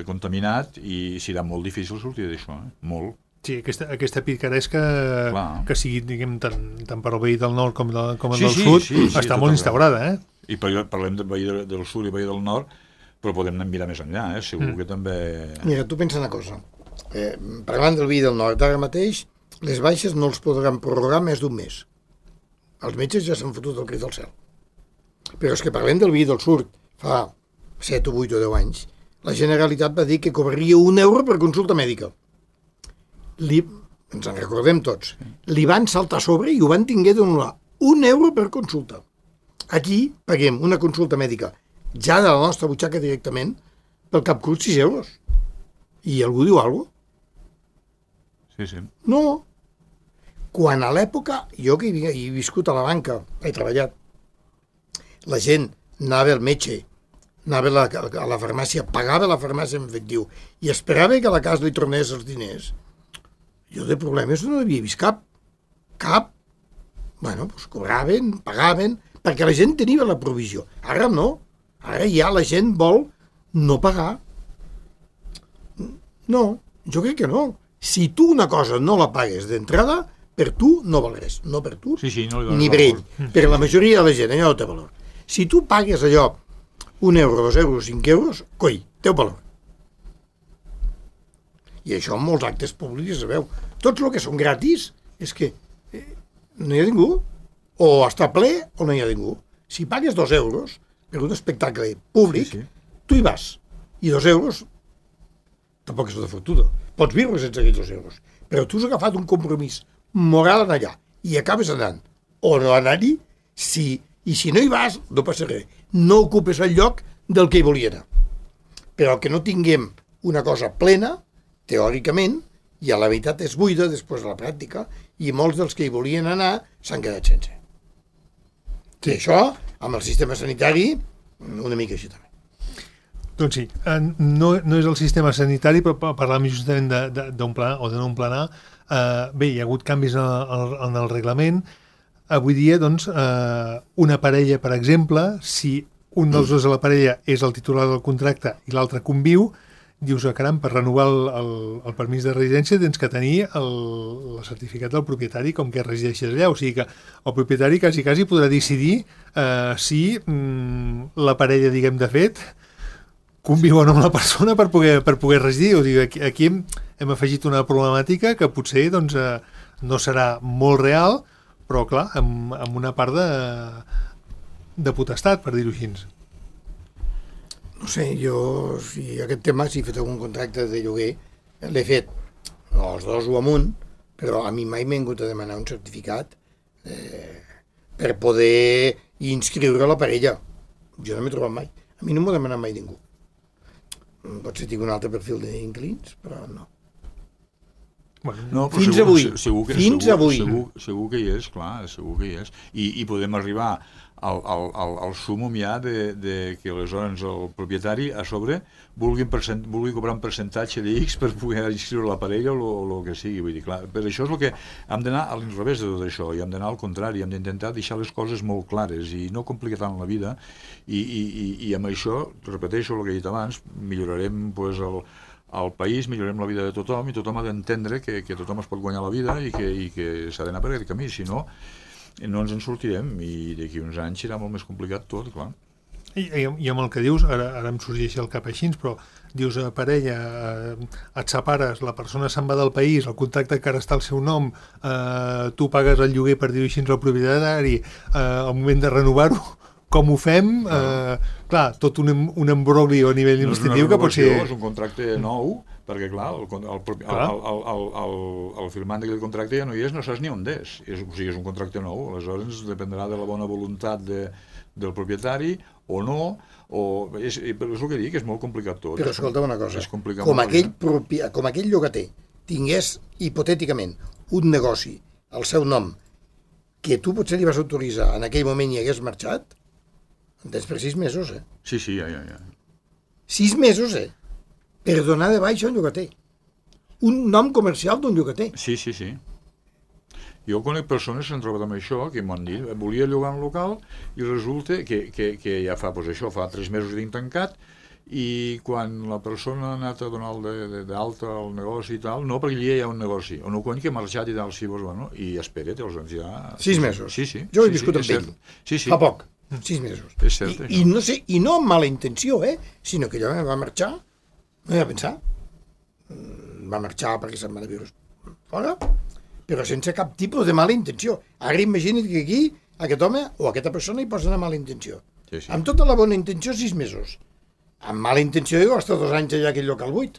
contaminat i serà molt difícil sortir d'això, molt. Sí, aquesta picaresca que sigui, diguem, tant per al veí del nord com del sud, està molt instaurada, I parlem del veí del sud i veí del nord, però podem mirar més enllà, segur que també... Mira, tu pensa una cosa, parlant del veí del nord, ara mateix, les baixes no els podran prorrogar més d'un mes. Els metges ja s'han fotut el crit del cel. Però és que parlem del veí del sud, fa 7 o 8 o 10 anys, la Generalitat va dir que cobraria €1 per consulta mèdica. Ens en recordem tots, li van saltar a sobre i ho van tinguer d'anul·lar. €1 per consulta. Aquí paguem una consulta mèdica ja de la nostra butxaca directament pel cap curt 6 euros. I algú diu alguna cosa? Sí. No. Quan a l'època, jo que he viscut a la banca, he treballat, la gent anava al metge, anava a la farmàcia, pagava la farmàcia en efectiu i esperava que a la casa li tornés els diners. Jo de problemes no havia vist cap. Bueno, doncs cobraven, pagaven, perquè la gent tenia la provisió. Ara no. Ara ja la gent vol no pagar. No, jo crec que no. Si tu una cosa no la pagues d'entrada, per tu no val res. No per tu, no ni per ell. Per la majoria de la gent, allò no té valor. Si tu pagues allò, €1, €2, €5, coi, té valor. I això en molts actes públics es veu. Tots el que són gratis és que no hi ha ningú. O està ple o no hi ha ningú. Si pagues €2 per un espectacle públic, tu hi vas. I €2 tampoc és una fortuna. Pots viure sense aquells €2. Però tu has agafat un compromís moral en allà i acabes anant. O no anar-hi, i si no hi vas, no passa res. No ocupes el lloc del que hi volia anar. Però que no tinguem una cosa plena, teòricament, i a la veritat és buida després de la pràctica, i molts dels que hi volien anar s'han quedat sense. Sí. I això, amb el sistema sanitari, una mica així també. Doncs sí, no és el sistema sanitari, però parlàvem justament d'un pla o de no un planar. Bé, hi ha hagut canvis en el reglament. Avui dia, doncs, una parella, per exemple, si un dels dos de la parella és el titular del contracte i l'altre conviu, dius, caram, per renovar el permís de residència tens que tenir el certificat del propietari com que resideixes allà. O sigui que el propietari quasi podrà decidir si la parella, diguem, de fet, conviu o no amb la persona per poder residir. O sigui, aquí hem afegit una problemàtica que potser doncs, no serà molt real, però clar, amb una part de potestat, per dir-ho així. No sé, jo, si aquest tema, si he fet algun contracte de lloguer, l'he fet els dos o amunt, però a mi mai m'he hagut de demanar un certificat per poder inscriure la parella. Jo no m'he trobat mai. A mi no m'ho ha demanat mai ningú. Potser tinc un altre perfil d'inclins, però no. No, fins avui. Segur que hi és, clar, segur que hi és. I podem arribar al súmum ja de que aleshores el propietari a sobre vulgui cobrar un percentatge de X per poder inscriure la parella o el que sigui. Vull dir, clar, per això és el que hem d'anar a l'inrevés de tot això, i hem d'anar al contrari, hem d'intentar deixar les coses molt clares i no complicar tant la vida, i amb això, repeteixo el que he dit abans, millorarem pues, al país, millorem la vida de tothom, i tothom ha d'entendre que tothom es pot guanyar la vida i que s'ha d'anar per aquest camí, si no ens en sortirem, i d'aquí uns anys serà molt més complicat tot, clar. I amb el que dius, ara em sorgeix al cap així, però dius, parella, et separes, la persona se'n va del país, el contracte encara està al seu nom, tu pagues el lloguer, per dir-ho així, al propietari, al moment de renovar-ho, com ho fem? Clar, tot un embroglio a nivell administratiu que pot ser... És un contracte nou, perquè clar, el firmant d'aquell contracte ja no hi és, no saps ni on és. O sigui, és un contracte nou, aleshores dependrà de la bona voluntat del propietari o no, és el que dic, és molt complicat tot. Però escolta una cosa, com aquell llogater tingués hipotèticament un negoci al seu nom que tu potser li vas autoritzar en aquell moment i hagués marxat, tens per 6 mesos, Sí, ja. 6 mesos, per donar de baixa un llogater. Un nom comercial d'un llogater. Sí. Jo conec persones que s'han trobat amb això, que m'han dit, volia llogar un local i resulta que ja fa 3 mesos que tinc tancat, i quan la persona ha anat a donar d'alta al negoci i tal, no, perquè allà hi ha un negoci, o no quan que ha marxat i tal, sí, bueno, i espera't, els anys ja... 6 mesos. Sí. Jo he viscut amb ell. Sí. Fa poc. 6 mesos. És cert, això. I no sé, i no amb mala intenció, sinó que allò va marxar, no hi va pensar. Va marxar perquè se'n va de viure fora, però sense cap tipus de mala intenció. Ara imagina't que aquí aquest home o aquesta persona hi posa una mala intenció. Sí. Amb tota la bona intenció, 6 mesos. Amb mala intenció hi costa 2 anys allà aquell local buit.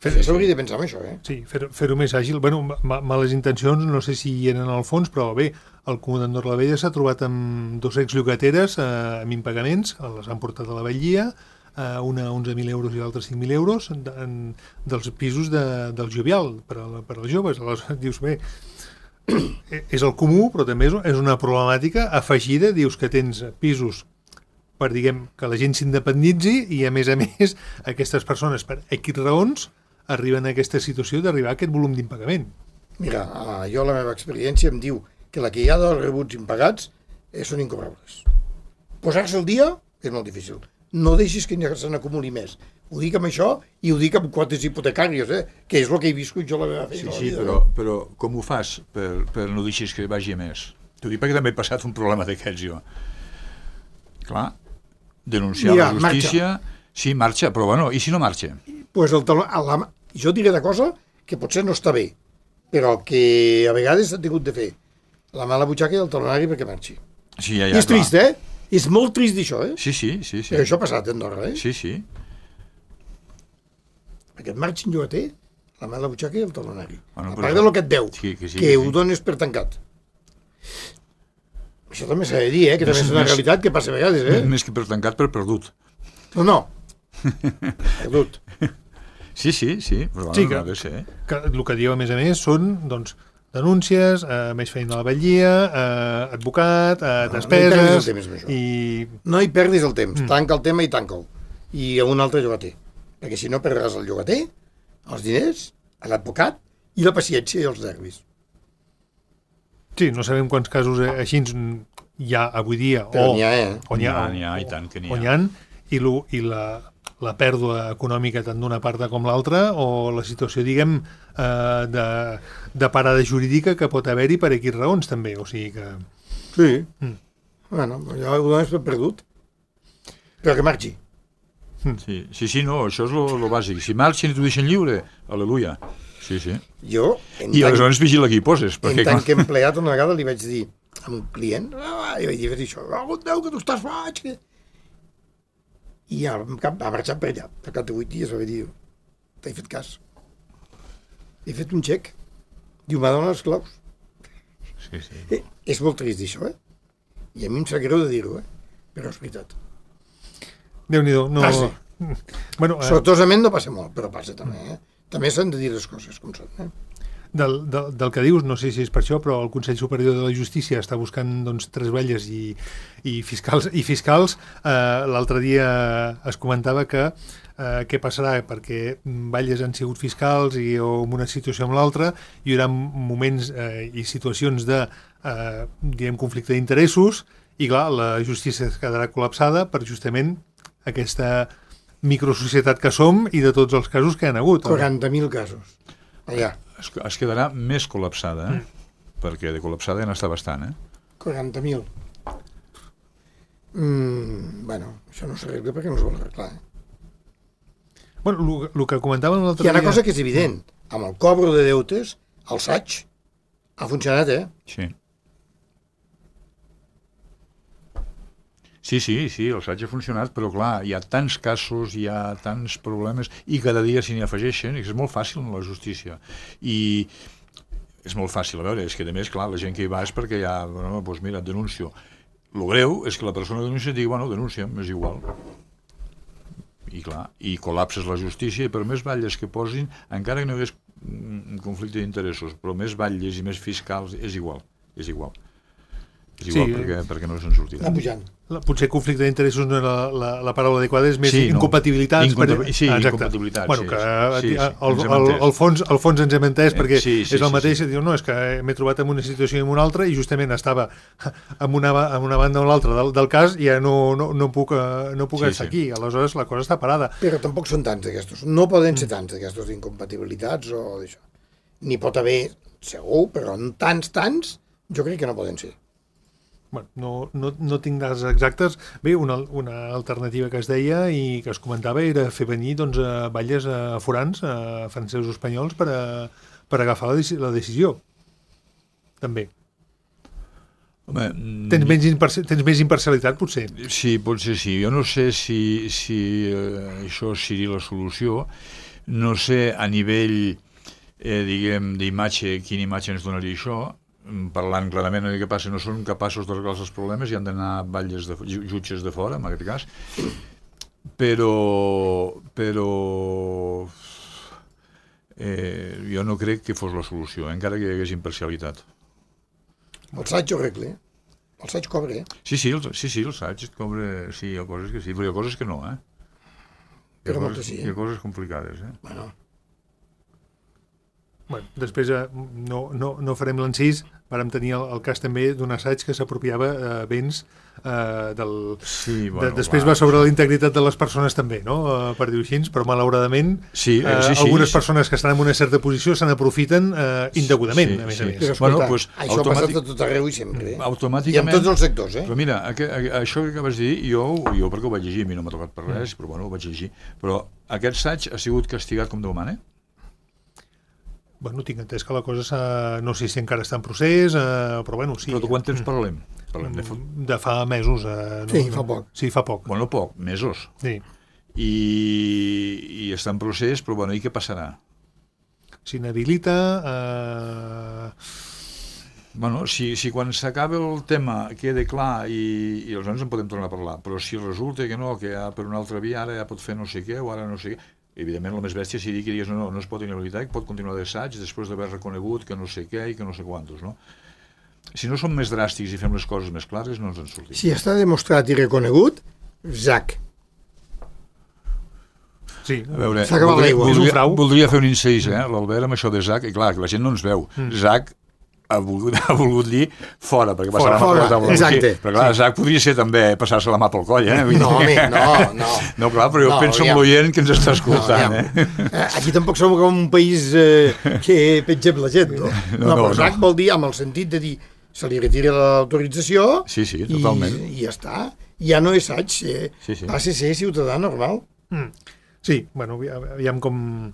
S'hauria de pensar en això, Sí, fer-ho més àgil. Bueno, males intencions, no sé si hi eren al fons, però bé, el comandant d'Orlavella s'ha trobat amb 2 exllogateres amb impagaments, les han portat a la vetllia, una 11.000 euros i l'altra 5.000 euros dels pisos del Jovial per als joves. Aleshores dius, bé, és el comú, però també és una problemàtica afegida. Dius que tens pisos per, diguem, que la gent s'independitzi i, a més, aquestes persones, per X raons, arriben a aquesta situació d'arribar a aquest volum d'impagament. Mira, jo la meva experiència em diu que la que hi ha dels rebuts impagats són incobrables. Posar-se al dia és molt difícil. No deixis que se n'acumuli més. Ho dic amb això i ho dic amb quotes hipotecàries, que és el que he viscut jo la meva feina. Sí, però com ho fas per no deixis que vagi més? T'ho dic perquè també he passat un problema d'aquests jo. Clar, denunciar la justícia... Marxa. Sí, marxa, però bueno, i si no marxa? Pues jo diré una cosa que potser no està bé, però que a vegades s'ha tingut de fer. La mala butxaca i el talonari perquè marxi. Sí, ja, I és trist, És molt trist això, Sí. Però això ha passat a Andorra, Sí. Perquè et marxin llogater, la mala butxaca i el talonari. Bueno, a part del que et deu, que ho dones per tancat. Això també s'ha de dir, que també és una realitat que passa a vegades, Més que per tancat, per perdut. No. Perdut. Sí, però sí, no ha de ser. Que el que diu, a més, són, doncs, denúncies, més feina a la vetllia, advocat, despeses... No hi perdis el temps. Tanca el tema i tanca'l. I a un altre llogater. Perquè si no perdràs el llogater, els diners, l'advocat i la paciència i els nervis. Sí, no sabem quants casos així hi ha avui dia. Però n'hi ha, N'hi ha, i tant que n'hi ha. On hi ha, i la pèrdua econòmica tant d'una part com l'altra, o la situació, diguem, de parada jurídica que pot haver-hi per aquí raons, també. O sigui que... Sí. Bueno, ja ho dones per perdut. Però que marxi. Sí, no, això és lo bàsic. Si marxen i t'ho deixen lliure, aleluia. Sí. Jo... I aleshores vigila qui hi poses. En tant que empleat una vegada li vaig dir a un client, i vaig dir això, Déu, que tu estàs faig, que... I ha marxat per allà. Per cap de 8 dies va dir, t'he fet cas. He fet un xec. Diu, m'ha donat les claus. Sí. És molt trist, això, I a mi em sap greu de dir-ho, però és veritat. Déu-n'hi-do. No... Passa. Bueno, sortosament no passa molt, però passa també, També s'han de dir les coses com són, Del que dius, no sé si és per això, però el Consell Superior de la Justícia està buscant, doncs, 3 vetlles i fiscals. L'altre dia es comentava que què passarà, perquè vetlles han sigut fiscals o en una situació amb l'altra, hi haurà moments i situacions de conflicte d'interessos, i clar, la justícia quedarà col·lapsada per justament aquesta microsocietat que som i de tots els casos que hi ha hagut. 40.000 casos. Allà. Es quedarà més col·lapsada, perquè de col·lapsada ja n'està bastant, 40.000. Bueno, això no s'arregla perquè no es vol arreglar, Bueno, el que comentàvem l'altre dia... Hi ha una cosa que és evident. Amb el cobro de deutes, el SAIG ha funcionat, Sí, el SAIG ha funcionat, però clar, hi ha tants casos, hi ha tants problemes, i cada dia s'hi afegeixen, i és molt fàcil en la justícia. I és molt fàcil, a veure, és que a més, clar, la gent que hi va és perquè ja, doncs mira, et denuncio. El greu és que la persona que denuncia et digui, bueno, denuncia'm, és igual. I clar, i col·lapses la justícia, i per més batlles que posin, encara que no hi hagués un conflicte d'interessos, però més batlles i més fiscals, és igual. És igual, perquè no se'n sortirà. Està pujant. Potser conflicte d'interessos no era la paraula adequada, és més incompatibilitats. Incompatibilitats. Bueno, que al fons ens hem entès, perquè és el mateix, diu, no, és que m'he trobat en una situació i en una altra, i justament estava en una banda o l'altra del cas, i ja no puc estar aquí. Aleshores la cosa està parada. Però tampoc són tants d'aquestos. No poden ser tants d'aquestos incompatibilitats o d'això. N'hi pot haver, segur, però tants, jo crec que no poden ser. Bueno, no tinc dades exactes. Bé, una alternativa que es deia i que es comentava era fer venir batlles forans, francesos espanyols, per agafar la decisió. També. Home, tens més imparcialitat, potser? Sí, potser sí. Jo no sé si això seria la solució. No sé a nivell, diguem, d'imatge, quina imatge ens donaria això. Parlant clarament del que passa, no són capaços d'arreglar els problemes i han d'anar jutges de fora, en aquest cas, però jo no crec que fos la solució, encara que hi hagués imparcialitat. El SAIG ho arregla, el SAIG cobra, Sí, el SAIG cobra, sí, hi ha coses que sí, però hi ha coses que no, Però moltes sí, Hi ha coses complicades, Bueno, després no farem l'encís. Vàrem tenir el cas també d'un assaig que s'apropiava béns després va sobre la integritat de les persones també, no? Per dir-ho així, però malauradament algunes persones que estan en una certa posició se n'aprofiten indegudament, a més a més. Però escolta, això ha passat a tot arreu i sempre, i en tots els sectors, Però mira, això que acabes de dir, jo perquè ho vaig llegir, a mi no m'ha tocat per res, però ho vaig llegir, però aquest assaig ha sigut castigat com Déu mana? Bueno, tinc entès que la cosa no sé si encara està en procés, però bueno, sí. Però de quant temps parlem? De fa mesos. Sí, fa poc. Sí, fa poc. Bueno, poc, mesos. Sí. I està en procés, però bueno, i què passarà? S'inhabilita... Bueno, si quan s'acaba el tema queda clar i aleshores en podem tornar a parlar, però si resulta que no, que per una altra via ara ja pot fer no sé què o ara no sé què, evidentment el més bèstia seria que digués no es pot inhabilitar, que pot continuar d'assaig després d'haver reconegut que no sé què i que no sé quantos, no? Si no som més dràstics i fem les coses més clares, no ens en sortim. Si està demostrat i reconegut, ZAC. Sí, a veure, s'ha acabat l'aigua. És un frau. Voldria fer un incís, l'Albert, amb això de ZAC, i clar, que la gent no ens veu. ZAC ha volgut dir fora, perquè passar la mà per la taula. Exacte. Però clar, ZAC podria ser també passar-se la mà pel coll, No, home, no. No, clar, però jo penso en l'oient que ens està escoltant, Aquí tampoc som com un país que pengem la gent, no? Però ZAC vol dir, amb el sentit de dir, se li retira l'autorització sí, totalment. I ja està. Ja no és assaig, passa a ser ciutadà normal. Sí, bueno, aviam com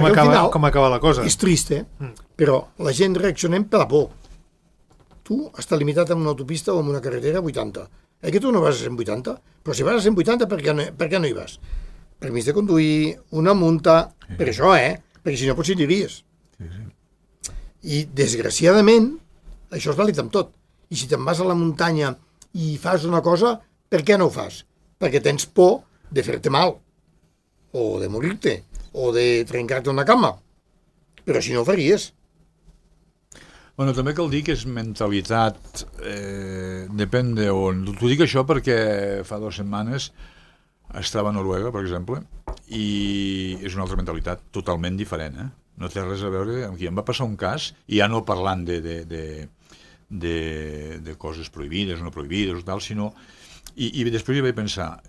acaba la cosa. És trist, però la gent reaccionem per la por. Tu estàs limitat en una autopista o en una carretera a 80. Que tu no vas a 180? Però si vas a 180, per què no hi vas? Permís de conduir, una multa, per això, perquè si no potser diries. I, desgraciadament, això és vàlid amb tot. I si te'n vas a la muntanya i fas una cosa, per què no ho fas? Perquè tens por de fer-te mal, o de morir-te, o de trencar-te una cama. Però si no ho faries. Bueno, també cal dir que és mentalitat, depèn d'on. T'ho dic això perquè fa 2 setmanes estava a Noruega, per exemple, i és una altra mentalitat totalment diferent, No té res a veure amb qui. Em va passar un cas, i ja no parlant de coses prohibides o no prohibides o tal, sinó... I després hi vaig pensar,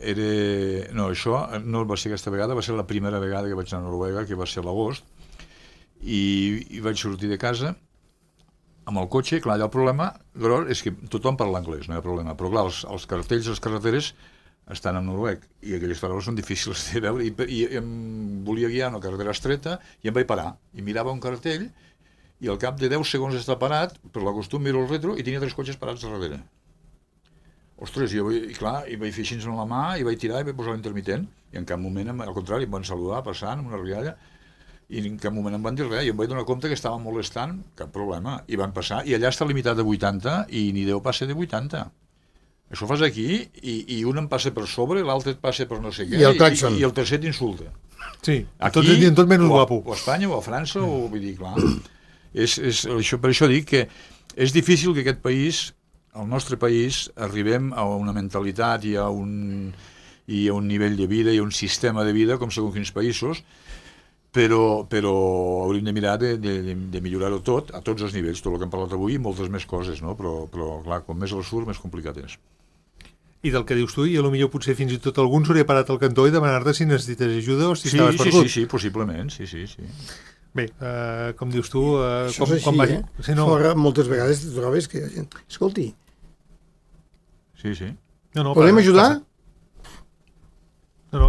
no, això no va ser aquesta vegada, va ser la primera vegada que vaig anar a Noruega, que va ser a l'agost, i vaig sortir de casa amb el cotxe. Clar, allà el problema gros és que tothom parla anglès, no hi ha problema, però clar, els cartells, les carreteres estan en noruec, i aquelles paraules són difícils de veure, i em volia guiar una carretera estreta, i em vaig parar, i mirava un cartell, i al cap de 10 segons està parat, per la costum miro el retro, i tenia 3 cotxes parats darrere. Ostres, i vaig fer així amb la mà, i vaig tirar i vaig posar l'intermitent, i en cap moment, al contrari, em van saludar passant amb una rialla, i en cap moment em van dir res, i em vaig donar compte que estava molestant, cap problema, i van passar, i allà està limitat de 80, i ni Déu passa de 80. Això ho fas aquí, i un em passa per sobre, l'altre et passa per no sé què, i el tercer t'insulta. Sí, aquí, tot menys guapo. O a Espanya, o a França, o vull dir, clar, per això dic que és difícil que aquest país al nostre país arribem a una mentalitat i a un nivell de vida i a un sistema de vida com segons quins països, però hauríem de mirar de millorar-ho tot, a tots els nivells, tot el que hem parlat avui i moltes més coses, no? Però clar, com més al sud, més complicat és. I del que dius tu, i potser potser fins i tot algun s'hauria parat al cantó i demanar-te si necessites ajuda o si estaves perdut. Sí, possiblement, sí. Bé, com dius tu... Això és així, Si no... Fora, moltes vegades te trobes que hi ha gent... Escolti. Sí. Podem ajudar? No,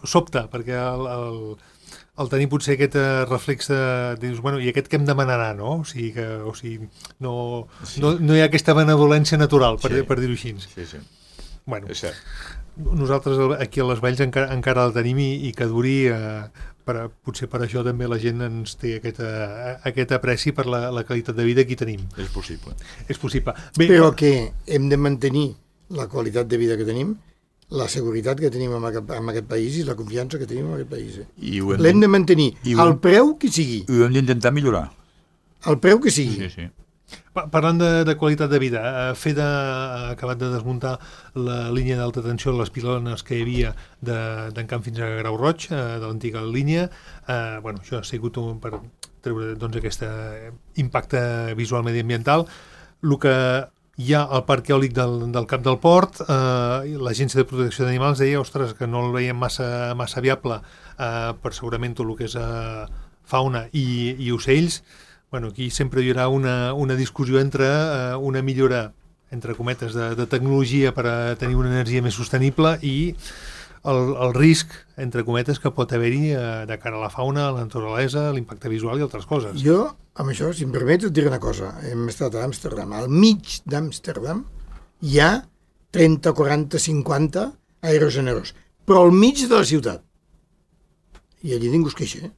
sobta, perquè el tenir potser aquest reflex de... Dius, i aquest què em demanarà, no? O sigui, no hi ha aquesta benevolència natural, per dir-ho així. Sí. Bueno, és cert. Nosaltres aquí a les Valls encara el tenim i que duri... potser per això també la gent ens té aquest apreci per la qualitat de vida que hi tenim. És possible. Bé, però que hem de mantenir la qualitat de vida que tenim, la seguretat que tenim en aquest país i la confiança que tenim en aquest país. L'hem de mantenir al preu que sigui. I ho hem d'intentar millorar. Al preu que sigui. Sí. Parlant de qualitat de vida, ha acabat de desmuntar la línia d'alta tensió, les pilones que hi havia d'en Camp fins a Grau Roig, de l'antiga línia. Això ha sigut per treure aquest impacte visual mediambiental. El que hi ha al parc eòlic del Cap del Port, l'Agència de Protecció d'Animals deia, que no el veiem massa viable per segurament tot el que és fauna i ocells. Aquí sempre hi haurà una discussió entre una millora, entre cometes, de tecnologia per a tenir una energia més sostenible i el risc, entre cometes, que pot haver-hi de cara a la fauna, a la naturalesa, a l'impacte visual i altres coses. Jo, amb això, si em permets, et diré una cosa. Hem estat a Amsterdam. Al mig d'Amsterdam hi ha 30, 40, 50 aerogeneradors, però al mig de la ciutat. I allí ningú es queixa.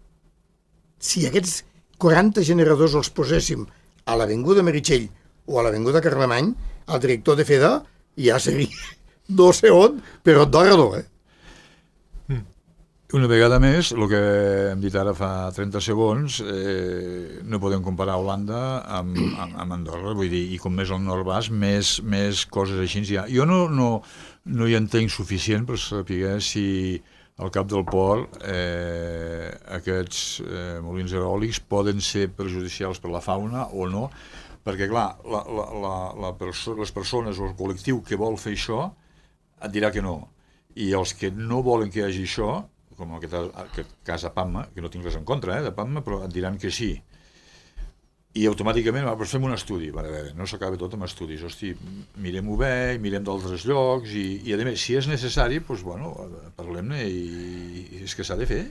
Si aquests 40 generadors els poséssim a l'Avinguda Meritxell o a l'Avinguda Carlemany, el director de FEDA ja seria no sé on, però d'orador, Una vegada més, el que hem dit ara fa 30 segons, no podem comparar Holanda amb Andorra, vull dir, i com més al nord vas, més coses així hi ha. Jo no hi entenc suficient per saber si al Cap del Port aquests molins eòlics poden ser perjudicials per la fauna o no, perquè clar, les persones o el col·lectiu que vol fer això et dirà que no, i els que no volen que hi hagi això, com en aquest cas a Pamma, que no tinc res en contra de Pamma, però et diran que sí. I automàticament fem un estudi, no s'acaba tot amb estudis, mirem-ho bé, mirem d'altres llocs, i a més, si és necessari, parlem-ne, i és que s'ha de fer.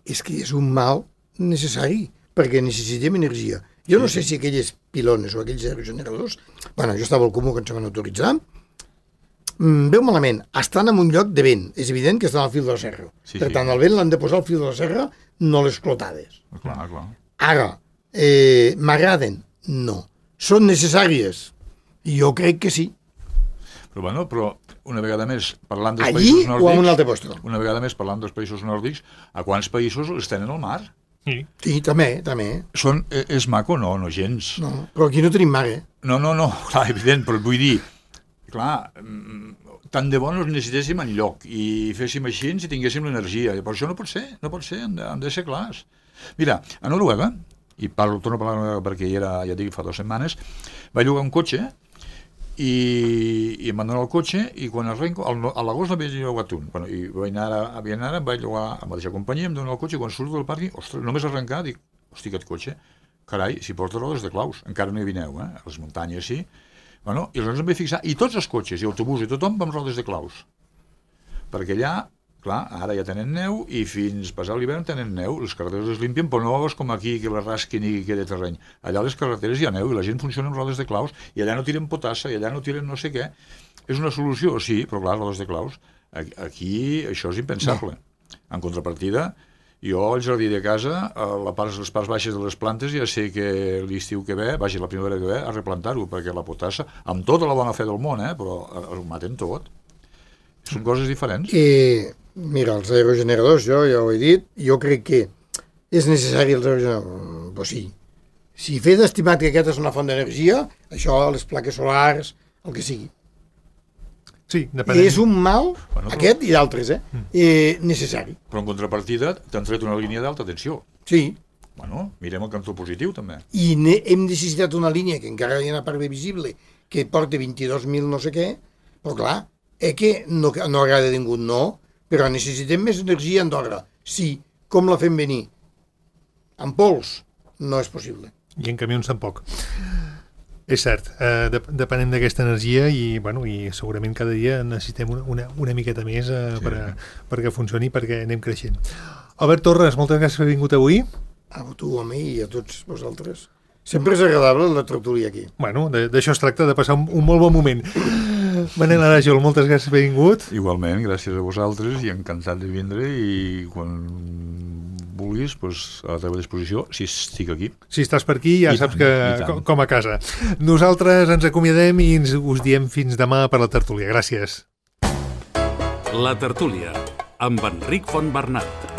És que és un mal necessari, perquè necessitem energia. Jo no sé si aquelles pilones o aquells aerogeneradors, jo estava al Comú quan se van autoritzar, veu malament, estan en un lloc de vent, és evident que estan al fil de la serra. Per tant, el vent l'han de posar al fil de la serra, no les clotades. Clar. Ara, m'agraden? No. Són necessàries? Jo crec que sí. Però una vegada més, parlant dels països nòrdics... Allí o en un altre lloc? Una vegada més, parlant dels països nòrdics, a quants països els tenen al mar? Sí, també. És maco? No gens. No, però aquí no tenim mar, No, clar, evident, però vull dir... Clar, tant de bo no els necessitéssim enlloc i féssim així si tinguéssim l'energia. Per això no pot ser, han de ser clars. Mira, a Noruega, i torno a parlar perquè ja dic fa 2 setmanes, vaig llogar un cotxe i em van donar el cotxe i quan arrenco, a l'agost n'havia llogat un. I vaig anar, vaig llogar a la mateixa companyia, em donen el cotxe i quan surto del pàrquing, ostres, només arrencar, dic, hosti, aquest cotxe, carai, si porta rodes de claus, encara no hi vineu, a les muntanyes sí. I aleshores em vaig fixar, i tots els cotxes, i autobús, i tothom amb rodes de claus. Perquè allà, clar, ara ja tenen neu, i fins passar l'hivern tenen neu, les carreteres les limpien, però no és com aquí, que les rasquin i queda terreny. Allà a les carreteres hi ha neu, i la gent funciona amb rodes de claus, i allà no tiren potassa, i allà no tiren no sé què. És una solució, sí, però clar, rodes de claus. Aquí això és impensable. En contrapartida, jo al jardí de casa, les parts baixes de les plantes, ja sé que l'estiu que ve, la primavera que ve, a replantar-ho, perquè la potassa, amb tota la bona fe del món, però ho maten tot. Són coses diferents. Mira, els aerogeneradors, jo ja ho he dit, jo crec que és necessari els aerogeneradors, però sí, Si fer d'estimat que aquesta és una font d'energia, això, les plaques solars, el que sigui. Sí, depenent. És un mal, aquest i d'altres, necessari. Però en contrapartida t'han tret una línia d'alta tensió. Sí. Bueno, mirem el cantó positiu, també. I hem necessitat una línia que encara hi ha una part bé visible, que porta 22.000 no sé què, però clar, que no agrada a ningú, no, però necessitem més energia a Andorra. Sí, com la fem venir? En pols? No és possible. I en camions tampoc. És cert, depenem d'aquesta energia i segurament cada dia necessitem una miqueta més perquè funcioni, perquè anem creixent. Albert Torres, moltes gràcies per haver vingut avui. A tu, a mi i a tots vosaltres. Sempre és agradable la tertúlia aquí. Bueno, d'això es tracta, de passar un molt bon moment. Manel Arajol, moltes gràcies per haver vingut. Igualment, gràcies a vosaltres i encantat de vindre i quan vulguis, a la teva disposició, si estic aquí. Si estàs per aquí, ja saps que com a casa. Nosaltres ens acomiadem i us diem fins demà per la tertúlia. Gràcies. La tertúlia, amb Enric Fontbernat.